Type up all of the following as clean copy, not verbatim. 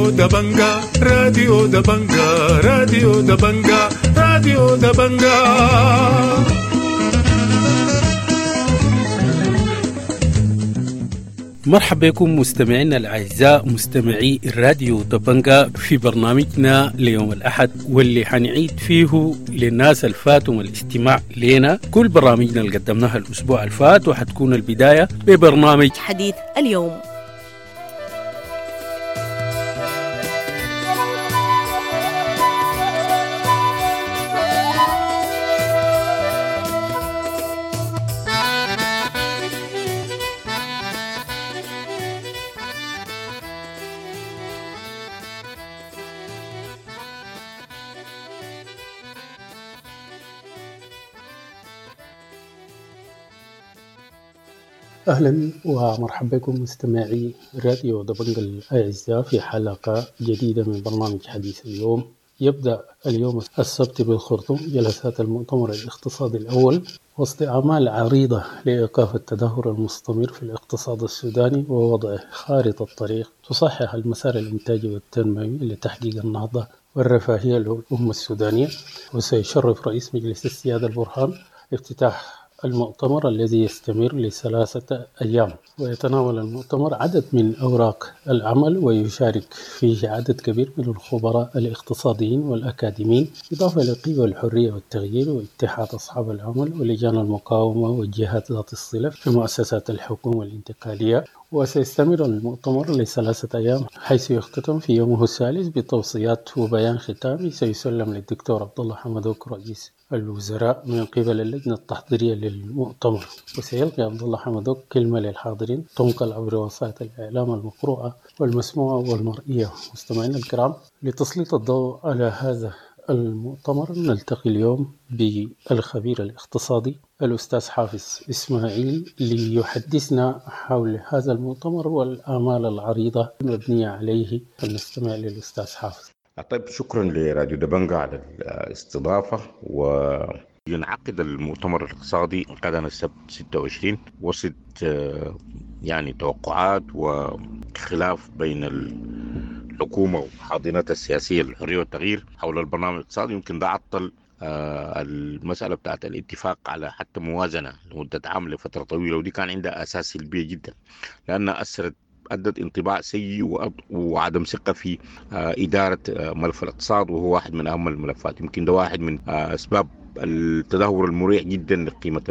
راديو دبنجا، راديو دبنجا، راديو دبنجا، راديو دبنجا. مرحبا بكم مستمعينا الأعزاء مستمعي الراديو دبنجا في برنامجنا ليوم الأحد، واللي حنعيد فيه للناس الفاتهم الاستماع لنا كل برامجنا اللي قدمناها الأسبوع الفات، وحتكون البداية ببرنامج حديث اليوم. أهلا ومرحبا بكم مستمعي راديو دبنجا الأعزاء في حلقة جديدة من برنامج حديث اليوم. يبدأ اليوم السبت بالخرطوم جلسات المؤتمر الاقتصادي الأول وسط أعمال عريضة لإيقاف التدهور المستمر في الاقتصاد السوداني ووضع خارطة طريق تصحح المسار الإنتاجي والتنموي لتحقيق النهضة والرفاهية للأمة السودانية. وسيشرف رئيس مجلس السيادة البرهان افتتاح المؤتمر الذي يستمر ل3 أيام، ويتناول المؤتمر عدد من أوراق العمل ويشارك فيه عدد كبير من الخبراء الاقتصاديين والأكاديميين، إضافة إلى قوى الحرية والتغيير واتحاد أصحاب العمل ولجان المقاومة والجهات ذات الصلة في مؤسسات الحكومة الانتقالية. وسيستمر المؤتمر ل3 أيام، حيث يختتم في يومه الثالث بتوصيات وبيان ختامي سيسلم للدكتور عبد الله حمدوك رئيس الوزراء من قبل اللجنة التحضيرية للمؤتمر. وسيلقي عبد الله حمدوك كلمة للحاضرين تنقل عبر وسائل الإعلام المقروءة والمسموعة والمرئية. مستمعينا الكرام، لتسليط الضوء على هذا المؤتمر نلتقي اليوم بالخبير الاقتصادي الأستاذ حافظ إسماعيل ليحدثنا حول هذا المؤتمر والآمال العريضة المبنية عليه. فلنستمع للأستاذ حافظ. طيب، شكرا لراديو دبنجا على الاستضافة. وينعقد المؤتمر الاقتصادي غدا السبت 26 وسط يعني توقعات وخلاف بين الحكومة وحاضنتها السياسية للحرية والتغيير حول البرنامج الاقتصادي. يمكن ده عطل المسألة بتاعت الاتفاق على حتى موازنة لمدة عام لفترة طويلة، ودي كان عندها أساس سلبية جدا لأنها أدت انطباع سيء وعدم ثقة في إدارة ملف الاقتصاد، وهو واحد من أهم الملفات. يمكن ده واحد من أسباب التدهور المريع جدا لقيمة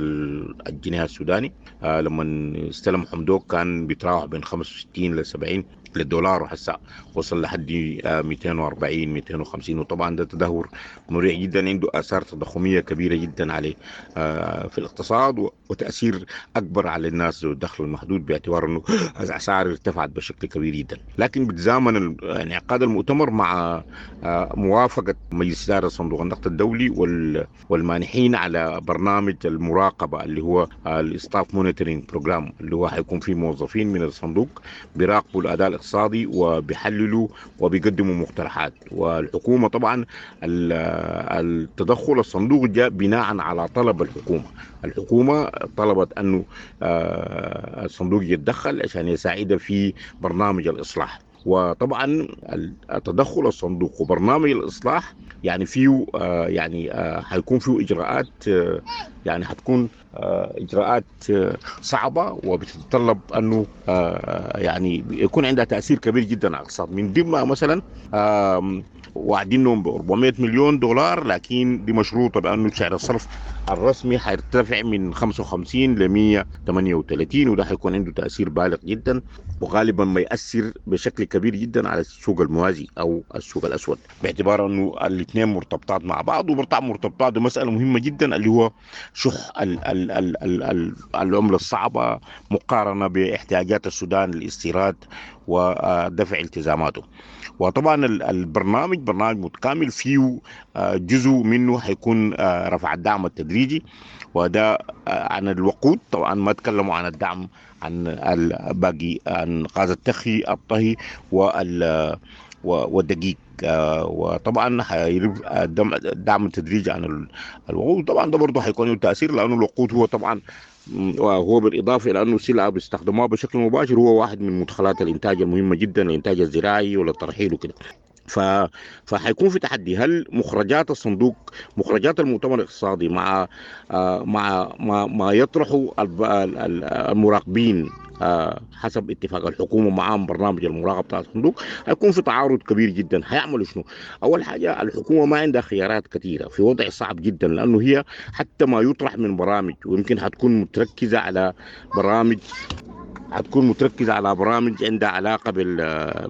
الجنيه السوداني. لما استلم حمدوك كان بيتراوح بين 65 ل 70 للدولار، وحسا وصل لحد 240 250، وطبعا ده تدهور مريع جدا عنده آثار تضخمية كبيرة جدا عليه في الاقتصاد، وتأثير أكبر على الناس ذو الدخل المحدود باعتبار أنه الأسعار ارتفعت بشكل كبير جدا. لكن بتزامن انعقاد المؤتمر مع موافقة مجلس إدارة صندوق النقد الدولي والمانحين على برنامج المراقبة اللي هو ال staff monitoring program، اللي هو حيكون فيه موظفين من الصندوق بيراقبوا الأداء الاقتصادي وبيحللوا وبيقدموا مقترحات. والحكومة طبعا التدخل الصندوق جاء بناء على طلب الحكومة. الحكومة طلبت أنه الصندوق يتدخل عشان يساعدها في برنامج الإصلاح. وطبعا التدخل الصندوق وبرنامج الإصلاح يعني فيه يعني حيكون فيه إجراءات، يعني حتكون إجراءات صعبة وبتتطلب أنه يعني يكون عندها تأثير كبير جدا على الاقتصاد. من ضمنها مثلا وعدينهم ب 400 مليون دولار، لكن دي مشروطة بأنه سعر الصرف الرسمي حيرتفع من 55 ل 138، وده حيكون عنده تأثير بالغ جدا وغالبا ما يأثر بشكل كبير جدا على السوق الموازي أو السوق الأسود، باعتبار أنه الاثنين مرتبطات مع بعض. ومرتبطات بمسألة مهمة جدا اللي هو شح العملة الصعبة مقارنة باحتياجات السودان للاستيراد ودفع التزاماته. وطبعا البرنامج برنامج متكامل فيه جزء منه حيكون رفع الدعم التدريجي، وده عن الوقود. طبعا ما تكلموا عن الدعم عن الباقي، عن غاز التخي الطهي والدقيق. وطبعا الدعم التدريجي عن الوقود طبعا ده برضه حيكون له تاثير، لانه الوقود هو طبعا وهو بالاضافة الى انه سلعه بيستخدموها بشكل مباشر، هو واحد من مدخلات الانتاج المهمة جدا، الانتاج الزراعي وللترحيل وكده. فحيكون في تحدي، هل مخرجات الصندوق، مخرجات المؤتمر الاقتصادي مع مع ما يطرحه المراقبين حسب اتفاق الحكومة معاهم برنامج المراقبة بتاع الصندوق، هيكون في تعارض كبير جدا. هيعملوا شنو؟ اول حاجة الحكومة ما عندها خيارات كثيرة، في وضع صعب جدا، لانه هي حتى ما يطرح من برامج ويمكن هتكون متركزه على برامج، هتكون متركزه على برامج عندها علاقة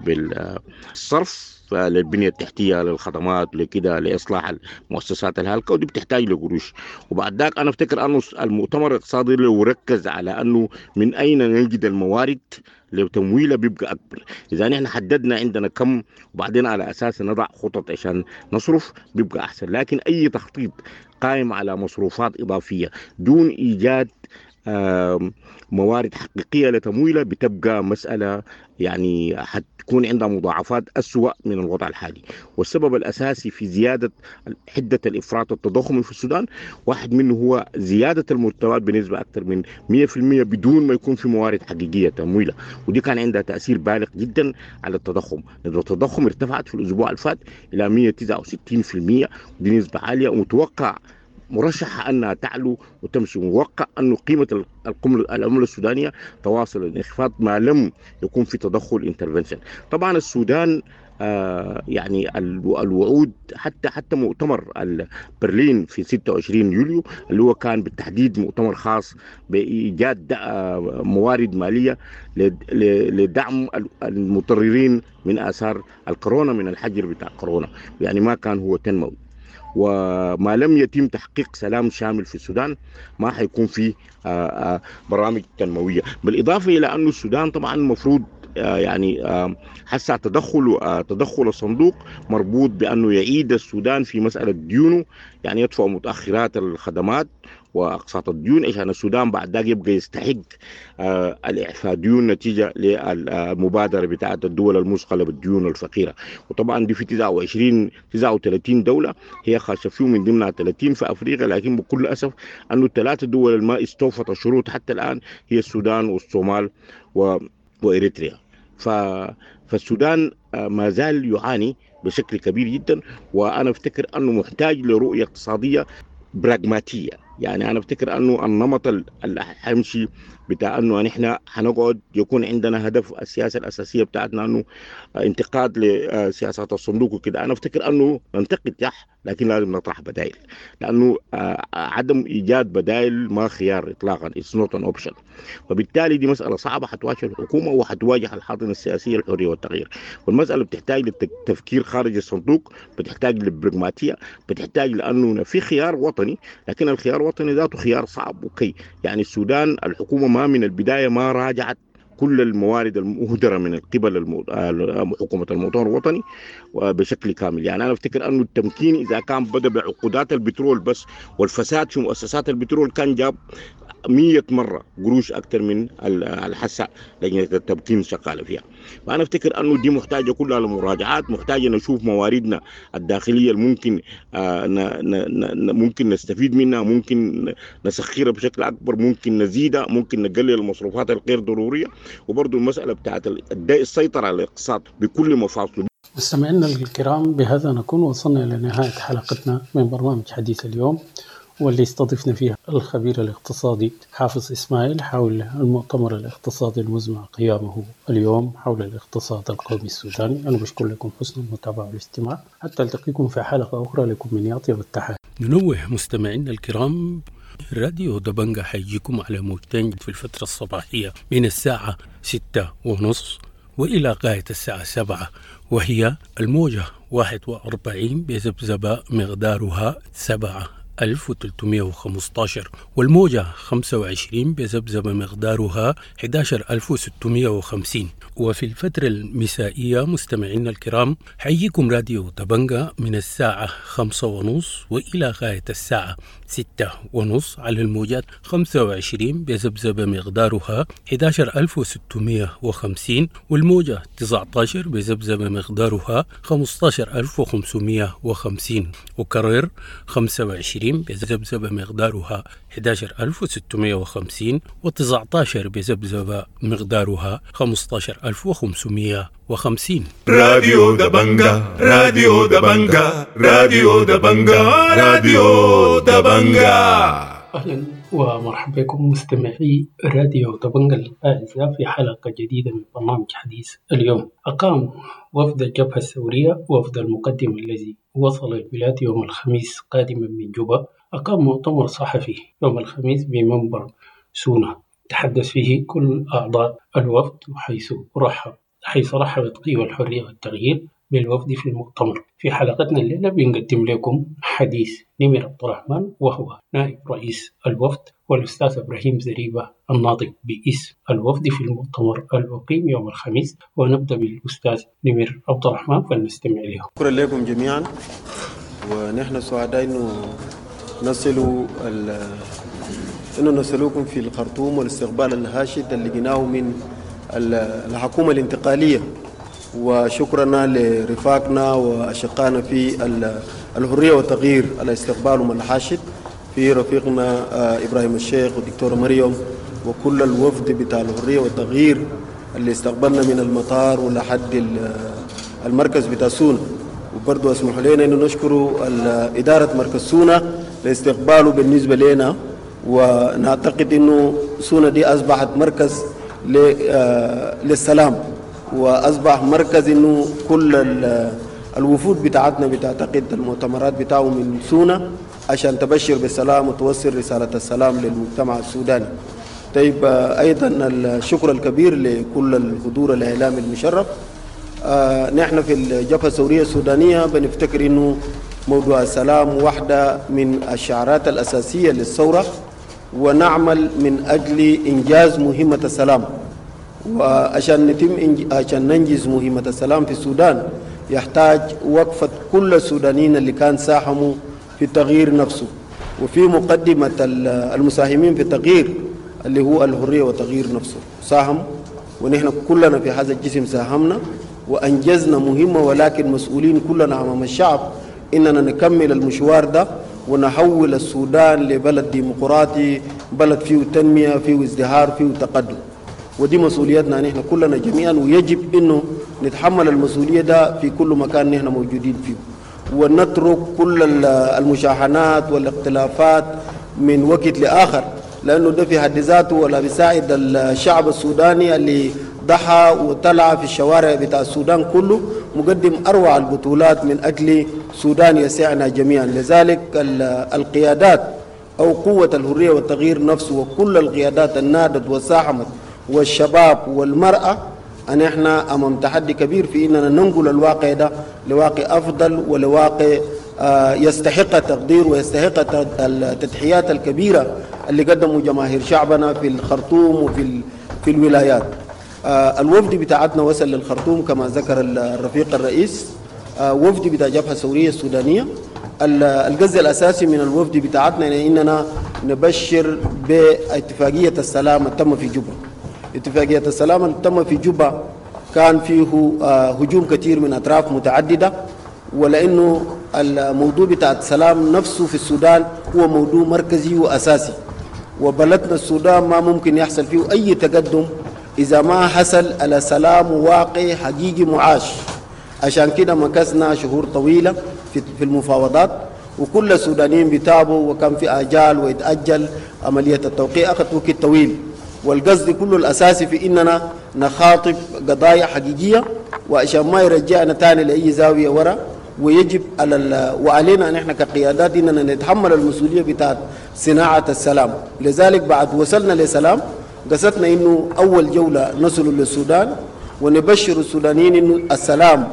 بالصرف للبنيه التحتية، للخدمات، لكده، لاصلاح المؤسسات الهالكه، ودي بتحتاج لقروش. وبعد ذاك انا افتكر انه المؤتمر الاقتصادي لو ركز على انه من اين نجد الموارد لتمويلها بيبقى اكبر. اذا نحن حددنا عندنا كم وبعدين على اساس نضع خطط عشان نصرف بيبقى احسن. لكن اي تخطيط قائم على مصروفات اضافية دون ايجاد موارد حقيقية لتمويلها بتبقى مسألة يعني حتكون عندها مضاعفات أسوأ من الوضع الحالي. والسبب الأساسي في زيادة حدة الإفراط التضخمي في السودان واحد منه هو زيادة المرتبات بنسبة أكثر من 100% بدون ما يكون في موارد حقيقية تمويلها، ودي كان عندها تأثير بالغ جدا على التضخم. نسبة التضخم ارتفعت في الأسبوع الفات إلى 169%، ودي نسبة عالية ومتوقع مرشحة أنها تعلو وتمشي. موقع أنه قيمة العملة السودانية تواصل الانخفاض ما لم يكون في تدخل intervention. طبعا السودان يعني الوعود حتى مؤتمر برلين في 26 يوليو اللي هو كان بالتحديد مؤتمر خاص بإيجاد موارد مالية لدعم المتضررين من آثار الكورونا، من الحجر بتاع كورونا، يعني ما كان هو تنموي. وما لم يتم تحقيق سلام شامل في السودان ما حيكون في برامج تنموية. بالإضافة إلى أن السودان طبعا المفروض يعني حسع تدخل الصندوق مربوط بأنه يعيد السودان في مسألة ديونه، يعني يدفع متأخرات الخدمات وأقساط الديون عشان السودان بعد ذاك يبقى يستحق الإعفاء ديون نتيجة للمبادرة بتاعة الدول المثقلة بالديون الفقيرة. وطبعا دي في 39 دولة هي خاشة فيهم، من ضمنها 30 في أفريقيا، لكن بكل أسف أنه الثلاث دول ما استوفت الشروط حتى الآن هي السودان والصومال وإريتريا. فالسودان ما زال يعاني بشكل كبير جدا، وأنا أفتكر أنه محتاج لرؤية اقتصادية براغماتية. يعني أنا أفتكر أنه النمط اللي حيمشي بتاع أنه نحن حنقعد يكون عندنا هدف السياسة الأساسية بتاعتنا أنه انتقاد لسياسات الصندوق وكده، أنا أفتكر أنه ننتقد صح، لكن لازم نطرح بدائل، لأنه عدم إيجاد بدائل ما خيار إطلاقا، it's not an option. وبالتالي دي مسألة صعبة حتواجه الحكومة وحتواجه الحاضنة السياسية الحرية والتغيير. والمسألة بتحتاج للتفكير خارج الصندوق، بتحتاج للبرغماتية، بتحتاج لأنه في خيار وطني، لكن الخيار الوطني ذاته خيار صعب. okay، يعني السودان الحكومة ما من البداية ما راجعت كل الموارد المهدرة من قبل حكومة المؤتمر الوطني بشكل كامل. يعني أنا أفتكر أنه التمكين إذا كان بدأ بعقودات البترول بس والفساد في مؤسسات البترول كان جاب 100 مرة قروش أكثر من الحسة لجنة التمكين شغالة فيها. فأنا أفتكر أنه دي محتاجة كلها لمراجعات، محتاجة نشوف مواردنا الداخلية الممكن ممكن نستفيد منها، ممكن نسخرها بشكل أكبر، ممكن نزيدها، ممكن نقلل المصروفات الغير ضرورية. وبرضو المسألة بتاعت السيطرة على الاقتصاد بكل مفاصله. مستمعينا الكرام، بهذا نكون وصلنا إلى نهاية حلقتنا من برنامج حديث اليوم، واللي استضفنا فيها الخبير الاقتصادي حافظ إسماعيل حول المؤتمر الاقتصادي المزمع قيامه اليوم حول الاقتصاد القومي السوداني. أنا بشكر لكم حسن المتابعة والاستماع، حتى ألتقيكم في حلقة أخرى. لكم من أطيب التحية. ننوه مستمعينا الكرام، راديو دبنجة حيجيكم على موجتين في الفترة الصباحية من الساعة 6:30 وإلى غاية الساعة 7، وهي الموجة 41 بذبذبة مقدارها 7315، والموجة 25 بذبذبة مقدارها 11650. وفي الفترة المسائية مستمعينا الكرام حييكم راديو دبنجة من الساعة 5:30 وإلى غاية الساعة 6:30 على الموجات 25 بذبذبة مقدارها 11650، والموجة 19 بذبذبة مقدارها 15550. وكرر 25 28 بذبذبة مقدارها 11650، و19 بذبذبة مقدارها 15550. راديو دبنجا، راديو دبنجا، راديو دبنجا، راديو دبنجا. أهلا ومرحبا بكم مستمعي راديو دبنجا الأعزاء في حلقة جديدة من برنامج حديث اليوم. أقام وفد الجبهة الثورية، وفد المقدم الذي وصل البلاد يوم الخميس قادما من جوبا، أقام مؤتمر صحفي يوم الخميس بمنبر سونا تحدث فيه كل أعضاء الوفد، حيث رحبت قوى الحرية والتغيير بالوفد في المؤتمر. في حلقتنا الليلة بنقدم لكم حديث نمر عبد الرحمن وهو نائب رئيس الوفد، والأستاذ إبراهيم زريبة الناطق باسم الوفد في المؤتمر الأقيم يوم الخميس. ونبدأ بالأستاذ نمر عبد الرحمن فلنستمع له. شكرا لكم جميعا، ونحن سعداء انه نصلوكم في الخرطوم والاستقبال الهاشد اللي لقيناه من الحكومة الانتقالية، وشكرنا لرفاقنا وأشقائنا في الحرية والتغيير على استقبالهم الحاشد، في رفيقنا إبراهيم الشيخ والدكتورة مريم وكل الوفد بتاع الحرية والتغيير اللي استقبلنا من المطار ولحد المركز بتاع سونا. وبرضه اسمحوا لنا انه نشكر إدارة مركز سونا لاستقباله بالنسبة لنا، ونعتقد انه سونا دي أصبحت مركز للسلام، واصبح مركز انه كل الوفود بتاعتنا بتعتقد المؤتمرات بتاعه من سونا عشان تبشر بالسلام وتوصل رسالة السلام للمجتمع السوداني. طيب، ايضا الشكر الكبير لكل الحضور الاعلامي المشرف. نحن في الجبهة الثورية السودانية بنفتكر انه موضوع السلام واحدة من الشعارات الأساسية للثورة، ونعمل من أجل إنجاز مهمة السلام. وعشان عشان ننجز مهمة السلام في السودان يحتاج وقفة كل السودانيين اللي كان ساهموا في التغيير نفسه، وفي مقدمة المساهمين في التغيير اللي هو الحرية والتغيير نفسه ساهم، ونحن كلنا في هذا الجسم ساهمنا وأنجزنا مهمة، ولكن مسؤولين كلنا أمام الشعب إننا نكمل المشوار ده ونحول السودان لبلد ديمقراطي، بلد فيه تنمية، فيه ازدهار، فيه تقدم. ودي مسؤوليتنا نحن كلنا جميعا، ويجب انه نتحمل المسؤولية ده في كل مكان نحن موجودين فيه، ونترك كل المشاحنات والاختلافات من وقت لاخر، لانه ده في حد ذاته ولا بيساعد الشعب السوداني اللي ضحى وطلع في الشوارع بتاع السودان كله مقدم اروع البطولات من اجل سودان يسعنا جميعا. لذلك القيادات او قوة الحرية والتغيير نفسه وكل القيادات النادت وساهمت والشباب والمرأة، أن إحنا أمام تحدي كبير في إننا ننقل الواقع ده لواقع أفضل ولواقع يستحق التقدير ويستحق التضحيات الكبيرة اللي قدموا جماهير شعبنا في الخرطوم وفي في الولايات. الوفد بتاعتنا وصل للخرطوم كما ذكر الرفيق الرئيس، وفد بتاع جبهة الثورية السودانية. الجزء الأساسي من الوفد بتاعتنا إننا نبشر باتفاقية السلام التم في جوبا. اتفاقية السلام اللي تم في جوبا كان فيه هجوم كثير من أطراف متعددة، ولأنه الموضوع بتاع السلام نفسه في السودان هو موضوع مركزي وأساسي، وبلدنا السودان ما ممكن يحصل فيه أي تقدم إذا ما حصل على سلام واقعي حقيقي معاش. عشان كده مكثنا شهور طويلة في المفاوضات، وكل السودانيين بيتابعوا، وكان في آجال ويتأجل عملية التوقيع، أخذت وقت طويل. والقصد كله الأساسي في إننا نخاطب قضايا حقيقية، وعشان ما يرجعنا تاني لأي زاوية ورا. ويجب على وعلينا نحن كقيادات إننا نتحمل المسؤولية بتاعت صناعة السلام. لذلك بعد وصلنا لسلام قصدنا إنه أول جولة نصل للسودان ونبشر السودانيين إنه السلام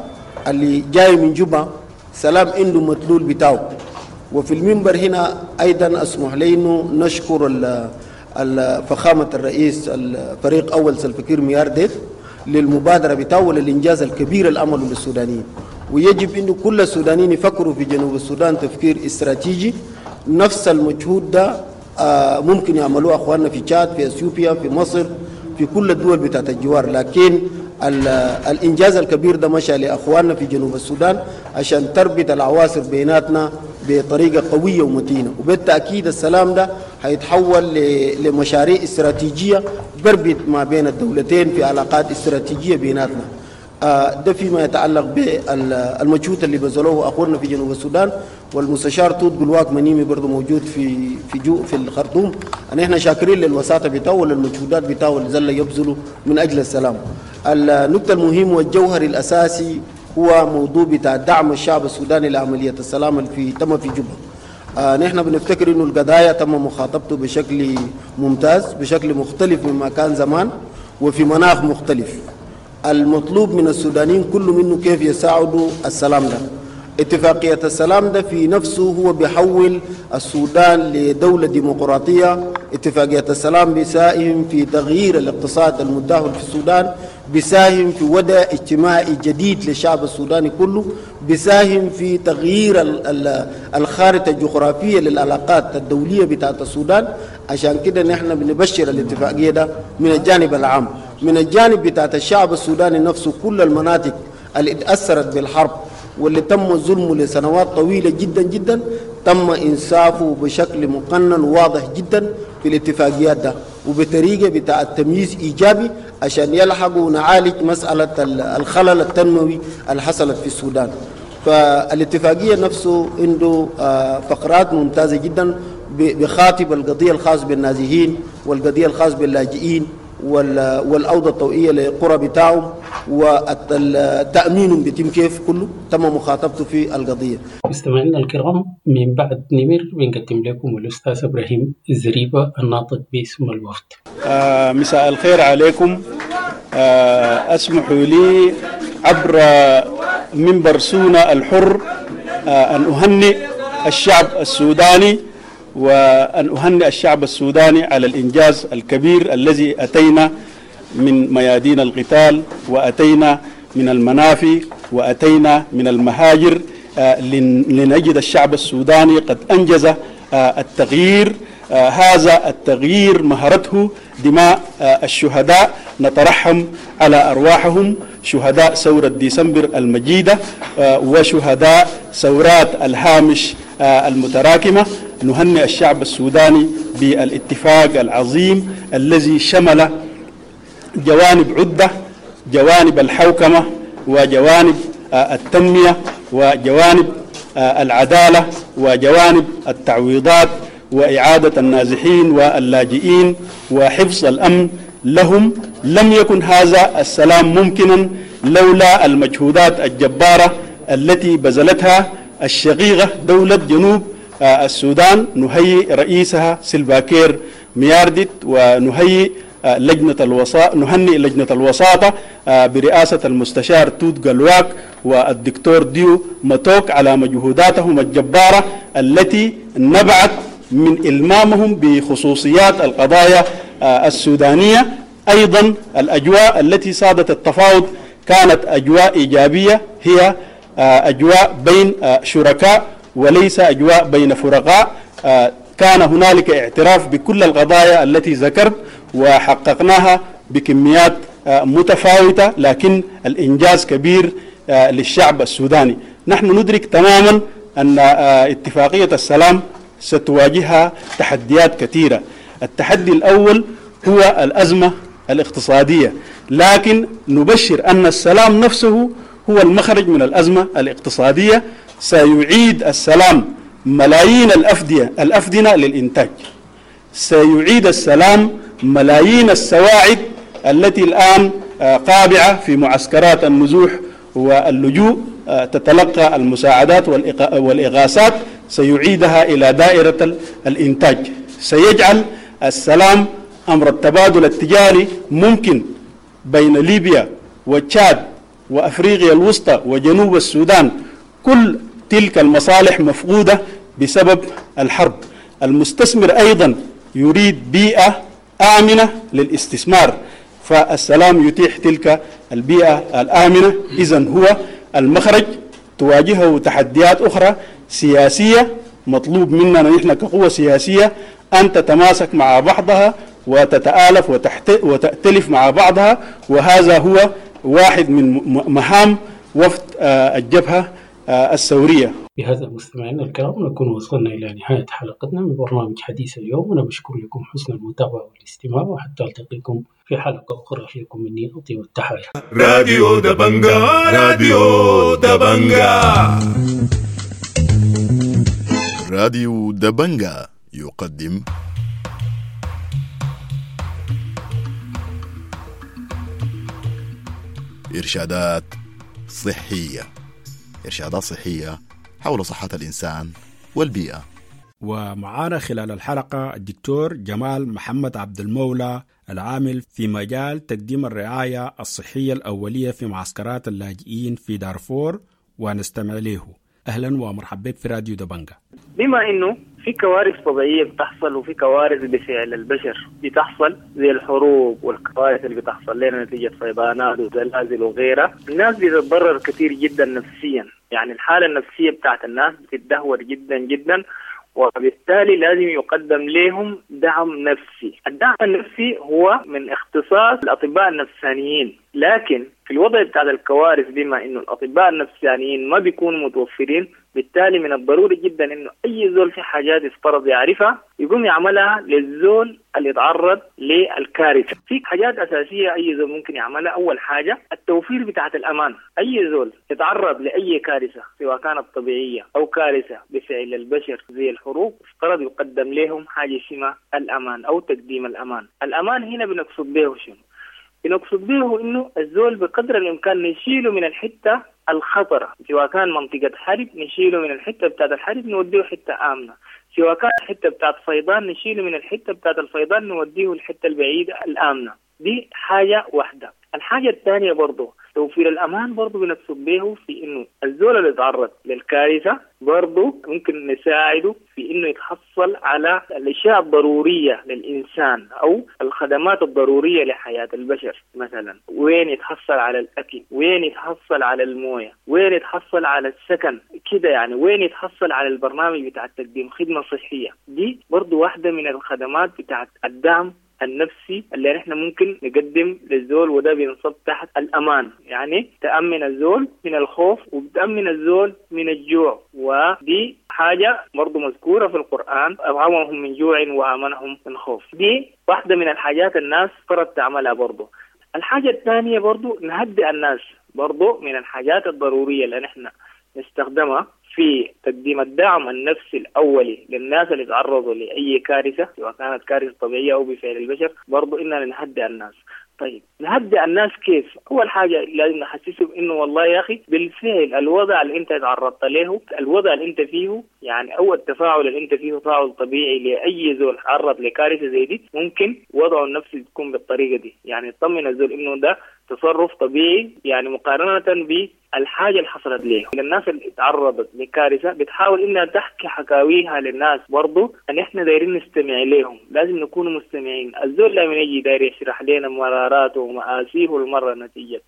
اللي جاي من جوبا سلام عنده مدلول بتاعه. وفي المنبر هنا أيضا أسمح لي إنه نشكر فخامة الرئيس الفريق أول سلفكير ميارديت للمبادرة بتاعه وللإنجاز الكبير اللي عمله للسودانيين. ويجب إنه كل السودانيين يفكروا في جنوب السودان تفكير استراتيجي. نفس المجهود ده ممكن يعملوه أخواننا في تشاد، في أثيوبيا، في مصر، في كل الدول بتاعت الجوار، لكن الإنجاز الكبير ده مشى لأخواننا في جنوب السودان عشان تربط العواصر بيناتنا بطريقة قوية ومتينة. وبالتأكيد السلام ده هيتحول لمشاريع استراتيجية بربط ما بين الدولتين في علاقات استراتيجية بيناتنا. ده فيما يتعلق بالمجهود اللي بذلوه أخونا في جنوب السودان، والمستشار توت قلواك منيمي برضه موجود في في جو في الخرطوم. نحن شاكرين للوساطة بتاعه وللمجهودات بتاعه اللي زل يبذلوا من أجل السلام. النقطة المهم والجوهر الأساسي هو موضوع بتاع دعم الشعب السوداني لعملية السلام اللي تم في جوبا. نحن بنفتكر إنه القضايا تم مخاطبته بشكل ممتاز، بشكل مختلف مما كان زمان وفي مناخ مختلف. المطلوب من السودانيين كله منه كيف يساعدوا السلام ده. اتفاقية السلام ده في نفسه هو بيحول السودان لدولة ديمقراطية. اتفاقية السلام بيساهم في تغيير الاقتصاد المتدهور في السودان، بيساهم في وضع اجتماعي جديد للشعب السوداني كله، بيساهم في تغيير الخارطة الجغرافية للعلاقات الدولية بتاعت السودان. عشان كده نحن بنبشر الاتفاقية ده من الجانب العام. من الجانب بتاعت الشعب السوداني نفسه، كل المناطق اللي اتأثرت بالحرب واللي تم ظلمه لسنوات طويلة جدا جدا تم إنصافه بشكل مقنن وواضح جدا في الاتفاقيات ده، وبطريقة بتاع التمييز إيجابي عشان يلحقوا ونعالج مسألة الخلل التنموي اللي حصلت في السودان. فالاتفاقية نفسه عنده فقرات ممتازة جدا بخاطب القضية الخاص بالنازحين والقضية الخاص باللاجئين والأوضة الطوئية للقرى بتاعهم والتأمين بيتم كيف، كله تم مخاطبته في القضية. مستمعينا الكرام، من بعد نمر بنقدم لكم الأستاذ إبراهيم الزريبة الناطق باسم الوفد. مساء الخير عليكم. أسمحوا لي عبر منبر سونا الحر أن أهنئ الشعب السوداني، وأن أهنئ الشعب السوداني على الإنجاز الكبير الذي أتينا من ميادين القتال، وأتينا من المنافي، وأتينا من المهاجر، لنجد الشعب السوداني قد أنجز التغيير. هذا التغيير مهرته دماء الشهداء، نترحم على أرواحهم، شهداء ثورة ديسمبر المجيدة وشهداء ثورات الهامش المتراكمة. نهنئ الشعب السوداني بالاتفاق العظيم الذي شمل جوانب عدة، جوانب الحوكمة وجوانب التنمية وجوانب العدالة وجوانب التعويضات وإعادة النازحين واللاجئين وحفظ الأمن لهم. لم يكن هذا السلام ممكنا لولا المجهودات الجبارة التي بذلتها الشقيقة دولة جنوب السودان. نهيئ رئيسها سلفاكير مياردت، ونهيئ لجنة الوساطة، نهنئ لجنة الوساطة برئاسة المستشار توت قلواك والدكتور ديو ماتوك على مجهوداتهم الجبارة التي نبعت من إلمامهم بخصوصيات القضايا السودانية. أيضا الأجواء التي سادت التفاوض كانت أجواء إيجابية، هي أجواء بين شركاء وليس أجواء بين فرقاء. كان هنالك اعتراف بكل القضايا التي ذكرت وحققناها بكميات متفاوتة، لكن الإنجاز كبير للشعب السوداني. نحن ندرك تماما أن اتفاقية السلام ستواجهها تحديات كثيرة. التحدي الأول هو الأزمة الاقتصادية، لكن نبشر أن السلام نفسه هو المخرج من الأزمة الاقتصادية. سيعيد السلام ملايين الأفدنة للإنتاج، سيعيد السلام ملايين السواعد التي الآن قابعة في معسكرات النزوح واللجوء تتلقى المساعدات والإغاثات، سيعيدها إلى دائرة الإنتاج. سيجعل السلام أمر التبادل التجاري ممكن بين ليبيا وتشاد وأفريقيا الوسطى وجنوب السودان. كل تلك المصالح مفقودة بسبب الحرب. المستثمر أيضا يريد بيئة آمنة للاستثمار، فالسلام يتيح تلك البيئة الآمنة. إذن هو المخرج. تواجهه تحديات أخرى سياسية، مطلوب مننا نحن كقوة سياسية أن تتماسك مع بعضها وتتآلف وتأتلف مع بعضها، وهذا هو واحد من مهام وفد الجبهة الثورية. بهذا مستمعينا الكرام نكون وصلنا إلى نهاية حلقتنا من برنامج حديث اليوم، وأنا بشكر لكم حسن المتابعة والاستماع، وحتى ألتقيكم في حلقة أخرى. لكم مني أطيب التحايا. راديو دبنجا، راديو دبنجا. راديو دبنجا يقدم إرشادات صحية، إرشادات صحية حول صحة الإنسان والبيئة. ومعانا خلال الحلقة الدكتور جمال محمد عبد المولى، العامل في مجال تقديم الرعاية الصحية الأولية في معسكرات اللاجئين في دارفور، ونستمع له. أهلا ومرحبا بك في راديو دبنجا. بما إنه في كوارث طبيعية بتحصل وفي كوارث بفعل البشر بتحصل، زي الحروب والكوارث اللي بتحصل لنا نتيجة فيضانات وزلازل وغيرها، الناس بتتضرر كثير جدا نفسيا. يعني الحالة النفسية بتاعت الناس بتتدهور جدا جدا، وبالتالي لازم يقدم لهم دعم نفسي. الدعم النفسي هو من اختصاص الأطباء النفسانيين، لكن في الوضع بتاع الكوارث بما إنه الأطباء النفسانيين ما بيكونوا متوفرين، بالتالي من الضروري جدا إنه أي زول في حاجات يفترض يعرفها يقوم يعملها للزول اللي يتعرض للكارثة. في حاجات أساسية أي زول ممكن يعملها. أول حاجة التوفير بتاعت الأمان. أي زول يتعرض لأي كارثة سواء كانت طبيعية أو كارثة بفعل البشر زي الحروب، افترض يقدم لهم حاجة اسمها الأمان أو تقديم الأمان. الأمان هنا بنقصد به شنو؟ بنقصد به إنه الزول بقدر الإمكان نشيله من الحتة الخطرة، سواء كان منطقة حرب نشيله من الحتة بتاعت الحرب نوديه حتة آمنة، سواء كان حتة بتاعت فيضان نشيله من الحتة بتاعت الفيضان نوديه الحتة البعيدة الآمنة. دي حاجة واحدة. الحاجة الثانية برضو توفير الأمان برضو بنقصد به في إنه الزول اللي تعرض للكارثة برضو ممكن نساعده في إنه يتحصل على الأشياء الضرورية للإنسان أو الخدمات الضرورية لحياة البشر. مثلا وين يتحصل على الأكل، وين يتحصل على الموية، وين يتحصل على السكن كده، يعني وين يتحصل على البرنامج بتاع تقديم خدمة صحية. دي برضو واحدة من الخدمات بتاعت الدعم النفسي اللي نحن ممكن نقدم للزول، وده بينصب تحت الأمان. يعني تأمن الزول من الخوف وبتأمن الزول من الجوع، ودي حاجة برضو مذكورة في القرآن، أطعمهم من جوع وآمنهم من خوف. دي واحدة من الحاجات الناس فرض تعملها برضو. الحاجة الثانية برضو نهدئ الناس، برضو من الحاجات الضرورية اللي نحن نستخدمها في تقديم الدعم النفسي الأولي للناس اللي تعرضوا لأي كارثة سواء كانت كارثة طبيعية أو بفعل البشر، برضو إننا نهدئ الناس. طيب نهدئ الناس كيف؟ أول حاجة لازم نحسسهم إنه والله يا أخي بالفعل الوضع اللي أنت تعرضت له، الوضع اللي أنت فيه، يعني أو التفاعل اللي أنت فيه تفاعل طبيعي لأي زول تعرض لكارثة زي دي، ممكن وضعه النفسي يكون بالطريقة دي. يعني يطمن الزول إنه ده تصرف طبيعي، يعني مقارنة بالحاجة اللي حصلت ليه. الناس اللي تعرضت لكارثة بتحاول إنها تحكي حكاويها للناس، برضو أن إحنا دايرين نستمع لهم، لازم نكون مستمعين. الزول لما يجي داير يشرح لنا مراراته ومآسيه المرة نتيجة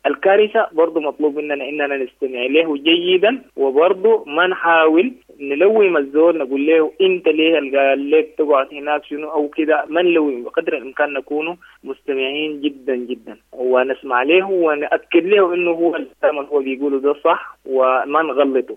الكارثة، برضو مطلوب مننا إننا نستمع له جيدا، وبرضو ما نحاول نلوم الزول نقول له أنت ليه قال لك تقعد هناك شنو أو كده، ما نلوم، بقدر الإمكان نكون مستمعين جدا جدا ونسمع له ونأكد له إنه هو الكلام اللي هو بيقوله ده صح وما نغلطه.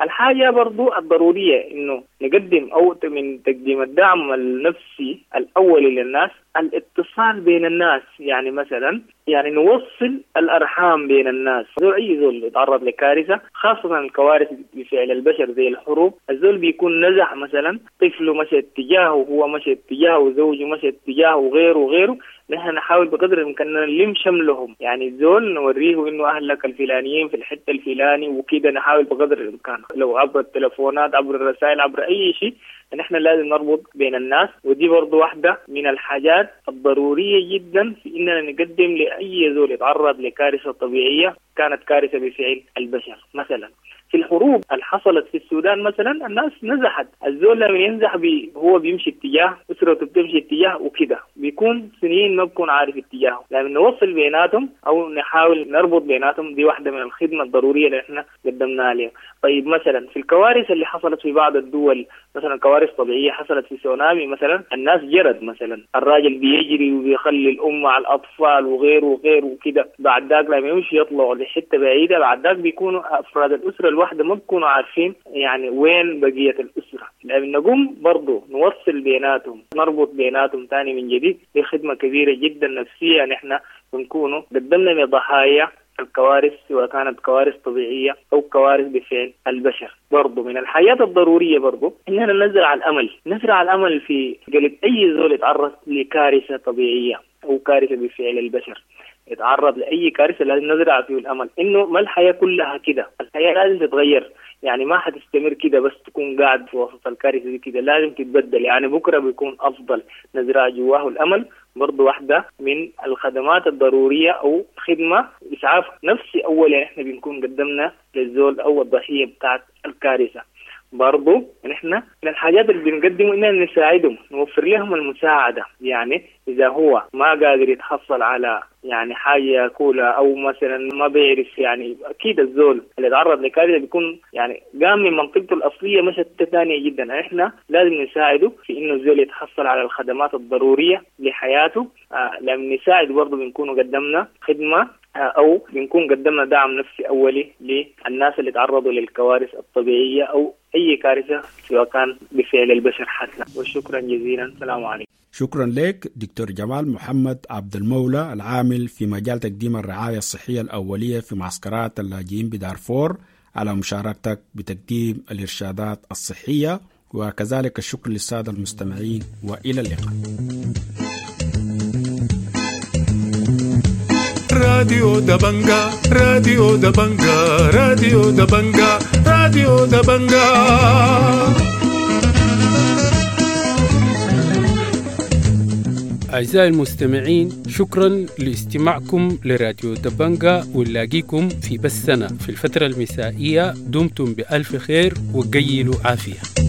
الحاجة برضو الضرورية إنه نقدم أو من تقديم الدعم النفسي الأولي للناس الاتصال بين الناس. يعني مثلا يعني نوصل الأرحام بين الناس. زول أي زول يتعرض لكارثة، خاصة الكوارث بفعل البشر زي الحروب، الزول بيكون نزح مثلا، طفله مشى اتجاهه وهو مشى اتجاهه وزوجه مشى اتجاهه وغيره وغيره. نحن نحاول بقدر الإمكان نلم شملهم، يعني الزول نوريه إنه أهلك الفلانيين في الحتة الفلاني وكده. نحاول بقدر الإمكان لو عبر التلفونات، عبر الرسائل، عبر أي شيء، نحن لازم نربط بين الناس. ودي برضو واحدة من الحاجات الضرورية جدا في إننا نقدم لأي زول يتعرض لكارثة طبيعية كانت كارثة بفعل البشر. مثلا في الحروب اللي حصلت في السودان مثلا الناس نزحت، الزول لما ينزح هو بيمشي اتجاه، أسرته بتمشي اتجاه وكده، بيكون سنين ما بكون عارف اتجاهه. لما نوصل بيناتهم أو نحاول نربط بيناتهم، دي واحدة من الخدمة الضرورية اللي احنا قدمناها لهم. طيب مثلا في الكوارث اللي حصلت في بعض الدول، مثلا كوارث طبيعية حصلت في سونامي مثلا، الناس جرت مثلا، الراجل بيجري وبيخلي الأم مع الأطفال وغيره وغيره وكده، بعد ذاك لما يمشي يطلعوا لحتة بعيدة، بعد ذاك بيكونوا أفراد الأسرة الواحدة واحدة ما بيكونوا عارفين يعني وين بقية الأسرة. لأن نقوم برضو نوصل بيناتهم، نربط بيناتهم تاني من جديد، دي خدمة كبيرة جدا نفسية نحن بنكونوا قدمنا لضحايا الكوارث، سواء كانت كوارث طبيعية أو كوارث بفعل البشر. برضو من الحاجات الضرورية برضو إننا نزرع الأمل، نزرع الأمل في قلب أي زول يتعرض لكارثة طبيعية أو كارثة بفعل البشر، يتعرض لأي كارثة لازم نزرع فيه الأمل إنه ما الحياة كلها كده، الحياة لازم تتغير، يعني ما حتستمر كده بس تكون قاعد في وسط الكارثة دي كده، لازم تتبدل، يعني بكرة بيكون أفضل. نزرع جواه الأمل برضو واحدة من الخدمات الضرورية أو خدمة إسعاف نفسي أولا إحنا بنكون قدمنا للزول أو الضحية بتاعت الكارثة. برضو نحن من الحاجات اللي بنقدمه إننا نساعدهم، نوفر لهم المساعدة، يعني إذا هو ما قادر يتحصل على يعني حاجة ياكلها أو مثلا ما بيعرف، يعني أكيد الزول اللي يتعرض لكارثة بيكون يعني قام من منطقته الأصلية مشت ثانية جدا، إحنا لازم نساعده في إنه الزول يتحصل على الخدمات الضرورية لحياته. لما نساعد برضو بنكون قدمنا خدمة أو بنكون قدمنا دعم نفسي أولي للناس اللي تعرضوا للكوارث الطبيعية أو أي كارثة سواء كان بفعل البشر حتى. وشكرا جزيلا، السلام عليكم. شكرا لك دكتور جمال محمد عبد المولى، العامل في مجال تقديم الرعاية الصحية الأولية في معسكرات اللاجئين بدارفور، على مشاركتك بتقديم الإرشادات الصحية، وكذلك الشكر للسادة المستمعين، وإلى اللقاء. راديو دبنجا، راديو دبنجا، راديو دبنجا، راديو دبنجا. أعزائي المستمعين، شكرا لاستماعكم لراديو دبنجا، ونلاقيكم في بثنا في الفترة المسائية. دمتم بألف خير وقيلوا عافية.